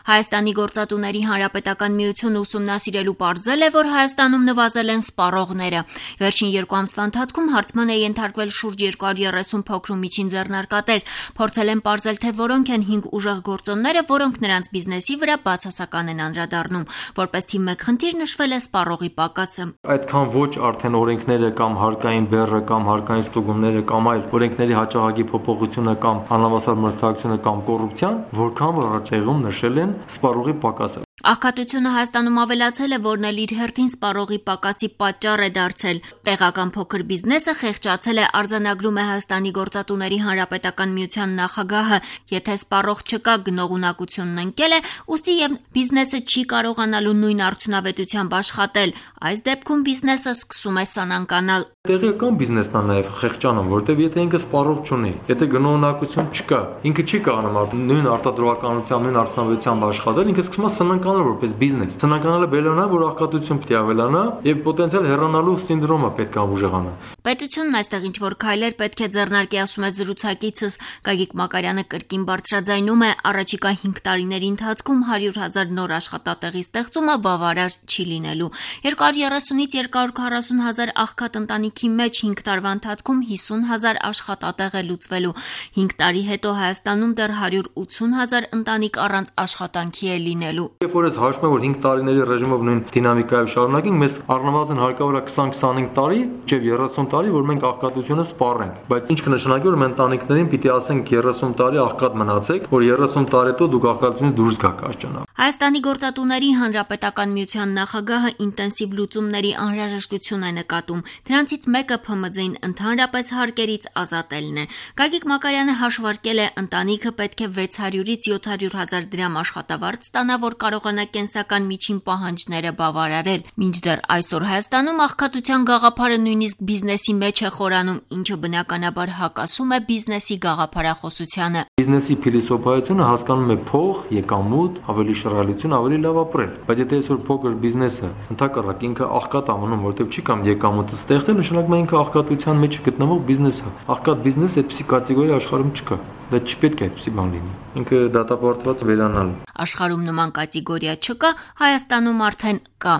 Հայաստանի գործատուների հանրապետական միությունը ուսումնասիրելու պարզել է, որ Հայաստանում նվազել են սպառողները։ Վերջին 2 ամսվա ընթացքում հարցման է ենթարկվել շուրջ 230 փոքր ու միջին ձեռնարկատեր։ Փորձել են պարզել, թե որոնք են 5 ուժեղ գործոնները, որոնք նրանց բիզնեսի վրա բացասական են անդրադառնում։ Որպես թիվ 1 խնդիր նշվել է սպառողի պակասը։ Այդքան ոչ արդեն օրենքները կամ հարկային բեռը կամ հարկային ստուգումները կամ այլ օրենքների հաջողակի փոփոխությունը կամ անհավասար մրցակցությունը կամ կոռուպցիան, որքան որ առաջեղում նշել են սպառողի պակասը։ Աղքատությունը Հայաստանում ավելացել է, որն էլ իր հերթին սպառողի պակասի պատճառ է դարձել։ Տեղական փոքր բիզնեսը խեղճացել է, արձանագրում է Հայաստանի գործատուների հանրապետական միության նախագահը։ Եթե սպառող չկա, գնողունակությունն ընկել է, ուստի եւ բիզնեսը չի կարողանալու նույն արդյունավետությամբ աշխատել։ Այս դեպքում բիզնեսը սկսում է սանանկանալ։ Տեղական բիզնեսն է նաև խեղճանում, որտեղ եթե ինքը սպառող չունի, եթե գնողունակություն չկա, ինքը չի կարողանում նույն արտադրողականությամբ, նույն արդյունավետությամբ աշխատել, ինքը սկսում է սնանկանալ որպես բիզնես։ Սնանկանալը բերելանա, որ աղքատություն պետք է ավելանա եւ պոտենցիալ հեռանալու սինդրոմը պետք է ուժեղանա։ Պետությունն այստեղ ինչ-որ քայլեր պետք է ձեռնարկի, ասում է զրուցակիցս։ Գագիկ Մակարյանը կրկին բարձրաձայնում է, առաջիկա 5 տարիների ընթացքում 100,000 նոր աշխատատեղի ստեղծումը բավարար չի լինելու։ 230-ից 240,000 աղքատ ընտանիքի մեջ 5 տարվա ընթացքում 50,000 աշխատատեղ է լուծվելու։ 5 տարի հետո Հայաստանում դեռ 180,000 ընտանիք առանց աշխատանքի է լինելու։ Երբ որ ես հաշվում եմ, որ 5 տարիների ռեժիմով նույն դինամիկայով շարունակենք, մեզ առնվազն հարկավոր է 20-25 տարի, մինչև 30 տարի, որ մենք աղքատությունը սպառենք։ Բայց ինչ կնշանակի, որ մենք ընտանիքներին պիտի ասենք 30 տարի աղքատ մնացեք, որ 30 տարի հետո դուք աղքատությունից դուրս գաք աշխանա։ Հայաստանի գործատուների հանրապետական միության նախագահը ինտենսիվ լուծումների անհրաժեշտություն է նկատում։ Դրանցից մեկը ՓՄԶ-ին ընդհանրապես հարկերից ազատելն է։ Գագիկ Մակարյանը հաշվարկել է, ընտանիքը պետք է 600-ից 700,000 դրամ աշխատավարձ ստանա, որ կարողանա կենսական միջին պահանջները բավարարել։ Մինչդեռ այսօր Հայաստանում աղքատության գաղափարը նույնիսկ բիզնեսի մեջ է խորանում, ինչը բնականաբար հակասում է բիզնեսի գաղափարախոսությանը։ Բիզնեսի փիլիսոփայությունը հասկանում է փող, եկամուտ, ավելի շռայլություն, ավելի լավ ապրել։ Բայց եթե այսօր փոքր բիզնեսը ընդհակառակ ինքը աղքատ ամնում, որտեղ չի կամ եկամուտը ստեղծել, նշանակում է ինքը աղքատության մեջ գտնվող բիզնեսը։ Աղքատ բիզնես այդպիսի կատեգորիա աշխարհում չկա։ Դա չպետք է այդպիսի բան լինի։ Ինքը դատապարտված վերանալ։ Աշխարհում նման կատեգորիա չկա, Հայաստանում արդեն կա։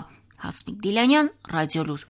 Հասմիկ Դիլանյան, Ռադիոլուր։